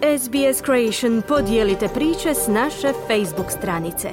SBS Creation podijelite priče s naše Facebook stranice.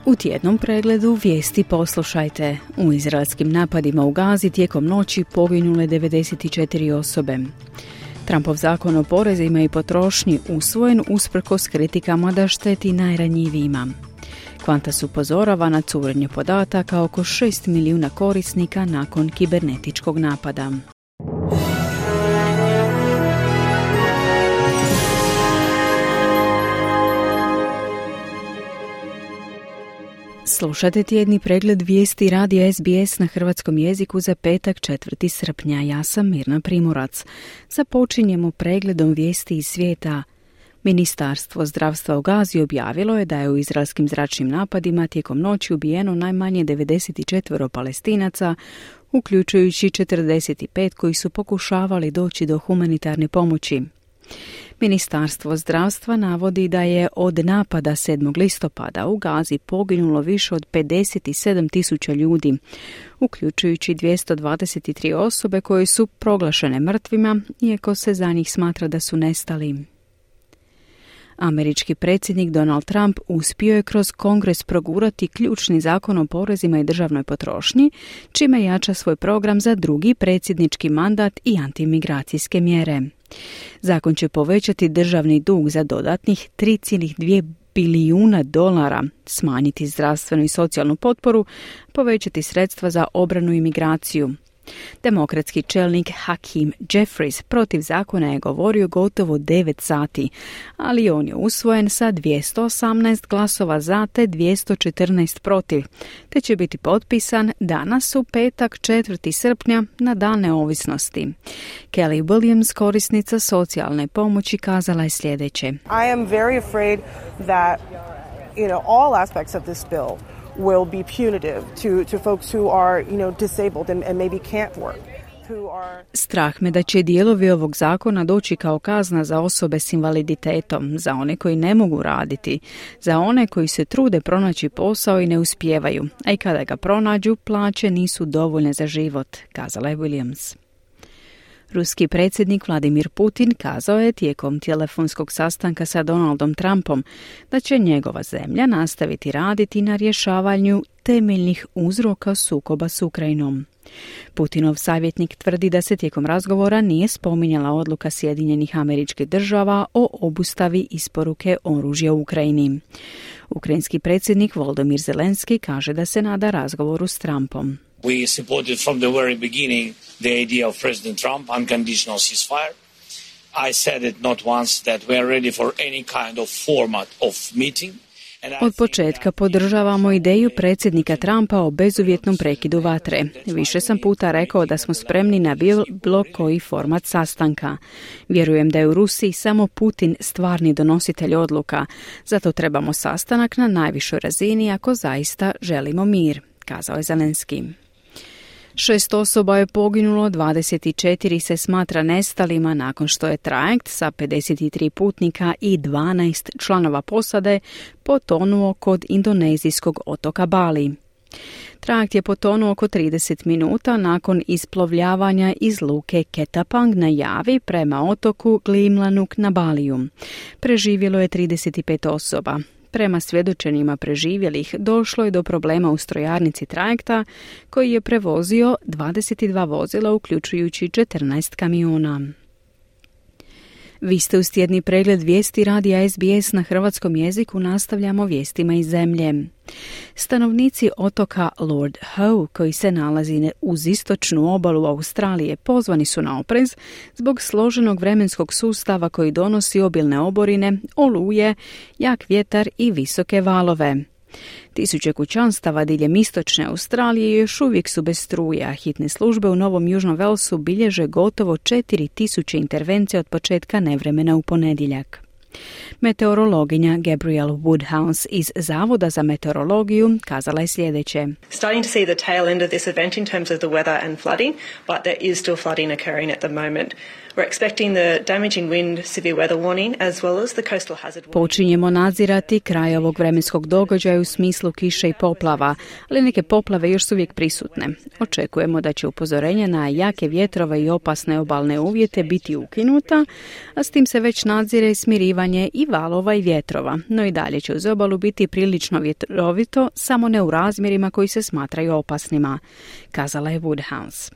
U tjednom pregledu vijesti poslušajte. U izraelskim napadima u Gazi tijekom noći poginule 94 osobe. Trumpov zakon o porezima i potrošnji usvojen usprkos kritikama da šteti najranjivijima. Qantas upozorava na curenje podataka oko 6 milijuna korisnika nakon kibernetičkog napada. Slušate tjedni pregled vijesti radija SBS na hrvatskom jeziku za petak 4. srpnja. Ja sam Mirna Primorac. Započinjemo pregledom vijesti iz svijeta. Ministarstvo zdravstva u Gazi objavilo je da je u izraelskim zračnim napadima tijekom noći ubijeno najmanje 94 Palestinaca, uključujući 45 koji su pokušavali doći do humanitarne pomoći. Ministarstvo zdravstva navodi da je od napada 7. listopada u Gazi poginulo više od 57.000 ljudi, uključujući 223 osobe koje su proglašene mrtvima, iako se za njih smatra da su nestali. Američki predsjednik Donald Trump uspio je kroz Kongres progurati ključni zakon o porezima i državnoj potrošnji, čime jača svoj program za drugi predsjednički mandat i antimigracijske mjere. Zakon će povećati državni dug za dodatnih 3,2 bilijuna dolara, smanjiti zdravstvenu i socijalnu potporu, povećati sredstva za obranu i migraciju. Demokratski čelnik Hakeem Jeffries protiv zakona je govorio gotovo 9 sati, ali on je usvojen sa 218 glasova za te 214 protiv, te će biti potpisan danas u petak 4. srpnja na Dan neovisnosti. Kelly Williams, korisnica socijalne pomoći, kazala je sljedeće. I am very afraid that all aspects of this bill will be punitive to folks who are, disabled and maybe can't work. Strah me da će dijelovi ovog zakona doći kao kazna za osobe s invaliditetom, za one koji ne mogu raditi, za one koji se trude pronaći posao i ne uspijevaju, a i kada ga pronađu, plaće nisu dovoljne za život, kazala je Williams. Ruski predsjednik Vladimir Putin kazao je tijekom telefonskog sastanka sa Donaldom Trumpom da će njegova zemlja nastaviti raditi na rješavanju temeljnih uzroka sukoba s Ukrajinom. Putinov savjetnik tvrdi da se tijekom razgovora nije spominjala odluka Sjedinjenih Američkih Država o obustavi isporuke oružja u Ukrajini. Ukrajinski predsjednik Volodymyr Zelenski kaže da se nada razgovoru s Trumpom. We supported from the very beginning the idea of President Trump, unconditional ceasefire. I said it not once that we are ready for any kind of format of meeting. Od početka podržavamo ideju predsjednika Trumpa o bezuvjetnom prekidu vatre. Više sam puta rekao da smo spremni na bilo koji format sastanka. Vjerujem da je u Rusiji samo Putin stvarni donositelj odluka. Zato trebamo sastanak na najvišoj razini ako zaista želimo mir, kazao je Zelenski. 6 osoba je poginulo, 24 se smatra nestalima nakon što je trajekt sa 53 putnika i 12 članova posade potonuo kod indonezijskog otoka Bali. Trajekt je potonuo oko 30 minuta nakon isplovljavanja iz luke Ketapang na Javi prema otoku Glimlanuk na Baliju. Preživjelo je 35 osoba. Prema svjedočenjima preživjelih došlo je do problema u strojarnici trajekta koji je prevozio 22 vozila uključujući 14 kamiona. Vi ste uz tjedni pregled vijesti radija SBS na hrvatskom jeziku, nastavljamo vijestima iz zemlje. Stanovnici otoka Lord Howe, koji se nalazi uz istočnu obalu Australije, pozvani su na oprez zbog složenog vremenskog sustava koji donosi obilne oborine, oluje, jak vjetar i visoke valove. Tisuće kućanstava diljem istočne Australije još uvijek su bez struje, a hitne službe u Novom Južnom Velsu bilježe gotovo 4000 intervencija od početka nevremena u ponedjeljak. Meteorologinja Gabrielle Woodhouse iz Zavoda za meteorologiju kazala je sljedeće. Starting to see the tail end of this event in terms of the weather and flooding, but there is still flooding occurring at the moment. Počinjemo nadzirati kraj ovog vremenskog događaja u smislu kiše i poplava, ali neke poplave još su uvijek prisutne. Očekujemo da će upozorenja na jake vjetrove i opasne obalne uvjete biti ukinuta, a s tim se već nadzire smirivanje i valova i vjetrova, no i dalje će uz obalu biti prilično vjetrovito, samo ne u razmjerima koji se smatraju opasnima, kazala je Woodhouse.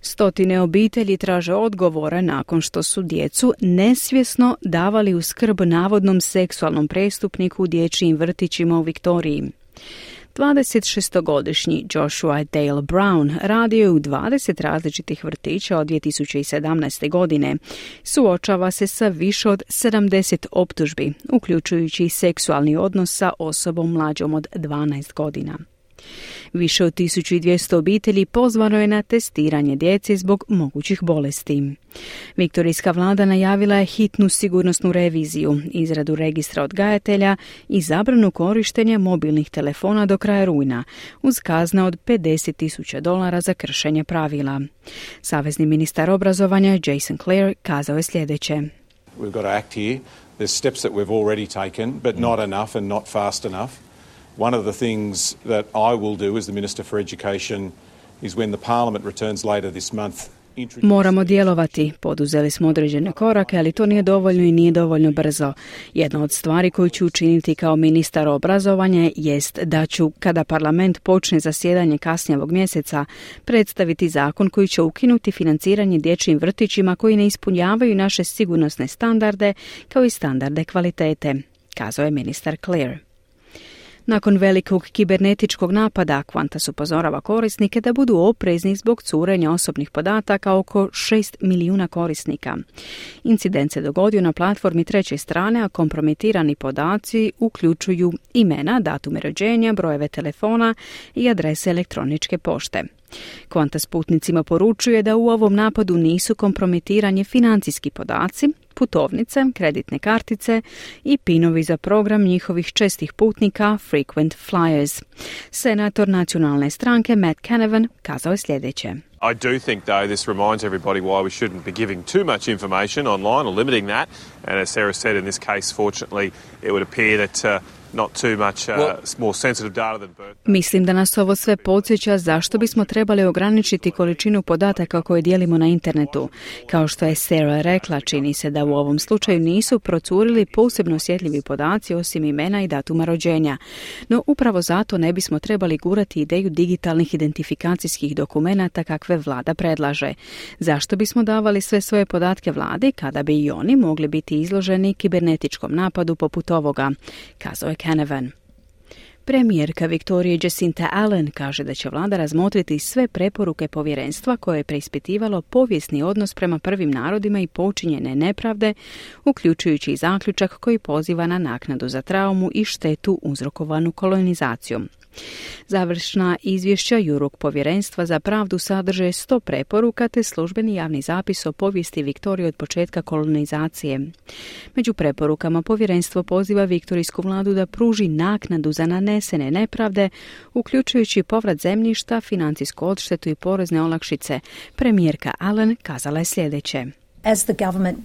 Stotine obitelji traže odgovore nakon što su djecu nesvjesno davali u skrb navodnom seksualnom prestupniku u dječjim vrtićima u Viktoriji. 26-godišnji Joshua Dale Brown radio je u 20 različitih vrtića od 2017. godine. Suočava se sa više od 70 optužbi, uključujući seksualni odnos sa osobom mlađom od 12 godina. Više od 1200 obitelji pozvano je na testiranje djece zbog mogućih bolesti. Viktorijska vlada najavila je hitnu sigurnosnu reviziju, izradu registra odgajatelja i zabranu korištenja mobilnih telefona do kraja rujna, uz kazne od $50,000 za kršenje pravila. Savezni ministar obrazovanja Jason Clare kazao je sljedeće. We've got to act here. There's steps that we've already taken, but not enough and not fast enough. One of the things that I will do as the Minister for Education is when the Parliament returns later this month. Moramo djelovati. Poduzeli smo određene korake, ali to nije dovoljno i nije dovoljno brzo. Jedna od stvari koju ću učiniti kao ministar obrazovanja jest da ću, kada parlament počne zasjedanje kasnije ovog mjeseca, predstaviti zakon koji će ukinuti financiranje dječjim vrtićima koji ne ispunjavaju naše sigurnosne standarde kao i standarde kvalitete, kazao je ministar Clare. Nakon velikog kibernetičkog napada, Qantas upozorava korisnike da budu oprezni zbog curenja osobnih podataka oko 6 milijuna korisnika. Incident se dogodio na platformi treće strane, a kompromitirani podaci uključuju imena, datume rođenja, brojeve telefona i adrese elektroničke pošte. Qantas putnicima poručuje da u ovom napadu nisu kompromitirani financijski podaci, putovnice, kreditne kartice i pinovi za program njihovih čestih putnika Frequent Flyers. Senator nacionalne stranke Matt Canavan kazao je sljedeće. I do think, though, this reminds everybody why we shouldn't be giving too much information online or limiting that. And as Sarah said, in this case, fortunately, it would appear that not too much more sensitive data than birth. Mislim da nas ovo sve podsjeća zašto bismo trebali ograničiti količinu podataka koje dijelimo na internetu. Kao što je Sarah rekla, čini se da u ovom slučaju nisu procurili posebno osjetljivi podaci osim imena i datuma rođenja. No upravo zato ne bismo trebali gurati ideju digitalnih identifikacijskih dokumenata kakve vlada predlaže. Zašto bismo davali sve svoje podatke vladi kada bi i oni mogli biti izloženi kibernetičkom napadu poput ovoga, kazao je Canavan. Premijerka Viktorije Jacinta Allen kaže da će vlada razmotriti sve preporuke povjerenstva koje je preispitivalo povijesni odnos prema prvim narodima i počinjene nepravde, uključujući i zaključak koji poziva na naknadu za traumu i štetu uzrokovanu kolonizacijom. Završna izvješća Jurok povjerenstva za pravdu sadrže 100 preporuka te službeni javni zapis o povijesti Viktorije od početka kolonizacije. Među preporukama povjerenstvo poziva viktorijsku vladu da pruži naknadu za nanesene nepravde, uključujući povrat zemljišta, financijsku odštetu i porezne olakšice. Premijerka Allen kazala je sljedeće. As the government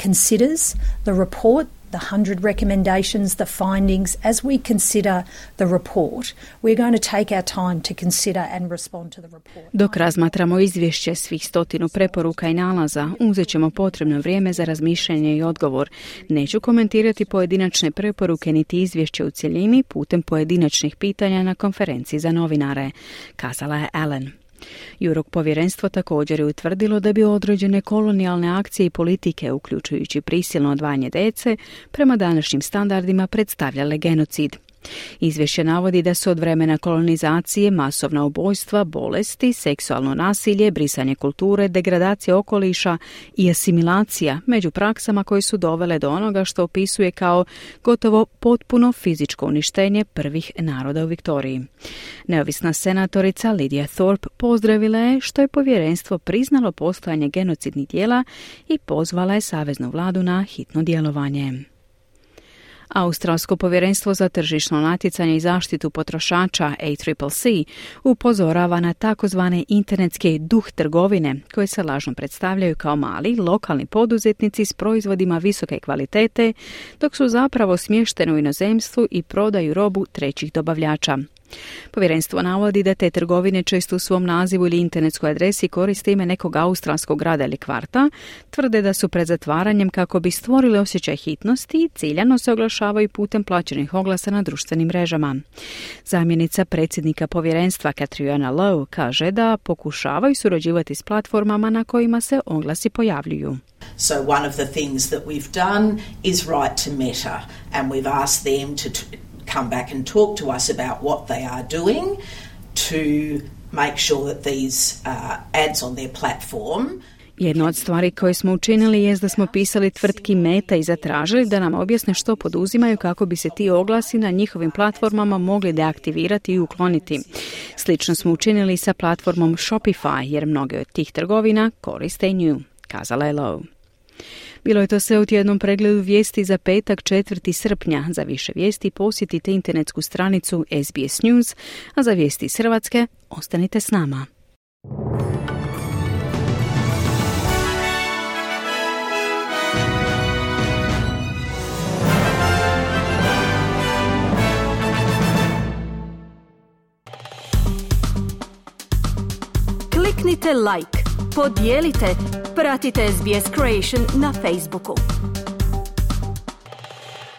considers the report, the 100 recommendations, the findings, as we consider the report, we're going to take our time to consider and respond to the report. Dok razmatramo izvješće svih 100 preporuka i nalaza, uzet ćemo potrebno vrijeme za razmišljanje i odgovor. Neću komentirati pojedinačne preporuke niti izvješće u cjelini putem pojedinačnih pitanja na konferenciji za novinare, kazala je Allen. Jurok povjerenstvo također je utvrdilo da bi određene kolonijalne akcije i politike, uključujući prisilno odvajanje djece, prema današnjim standardima predstavljale genocid. Izvješće navodi da su od vremena kolonizacije masovna ubojstva, bolesti, seksualno nasilje, brisanje kulture, degradacija okoliša i asimilacija među praksama koje su dovele do onoga što opisuje kao gotovo potpuno fizičko uništenje prvih naroda u Viktoriji. Neovisna senatorica Lydia Thorpe pozdravila je što je povjerenstvo priznalo postojanje genocidnih djela i pozvala je saveznu vladu na hitno djelovanje. Australsko povjerenstvo za tržišno natjecanje i zaštitu potrošača ACCC upozorava na takozvane internetske duh trgovine koje se lažno predstavljaju kao mali, lokalni poduzetnici s proizvodima visoke kvalitete, dok su zapravo smješteni u inozemstvu i prodaju robu trećih dobavljača. Povjerenstvo navodi da te trgovine često u svom nazivu ili internetskoj adresi koriste ime nekog australskog grada ili kvarta, tvrde da su pred zatvaranjem kako bi stvorili osjećaj hitnosti i ciljano se oglašavaju putem plaćenih oglasa na društvenim mrežama. Zamjenica predsjednika povjerenstva Catriona Lowe kaže da pokušavaju surađivati s platformama na kojima se oglasi pojavljuju. So one of the things that we've done is write to Meta and we've asked them to come back and talk to us about what they are doing to make sure that these ads on their platform. Jedna od stvari koje smo učinili jest da smo pisali tvrtki Meta i zatražili da nam objasne što poduzimaju kako bi se ti oglasi na njihovim platformama mogli deaktivirati i ukloniti. Slično smo učinili sa platformom Shopify jer mnoge od tih trgovina koriste nju, kazala je Lowe. Bilo je to sve u tjednom pregledu vijesti za petak 4. srpnja. Za više vijesti posjetite internetsku stranicu SBS News, a za vijesti iz Hrvatske ostanite s nama. Kliknite like, podijelite, pratite SBS Creation na Facebooku.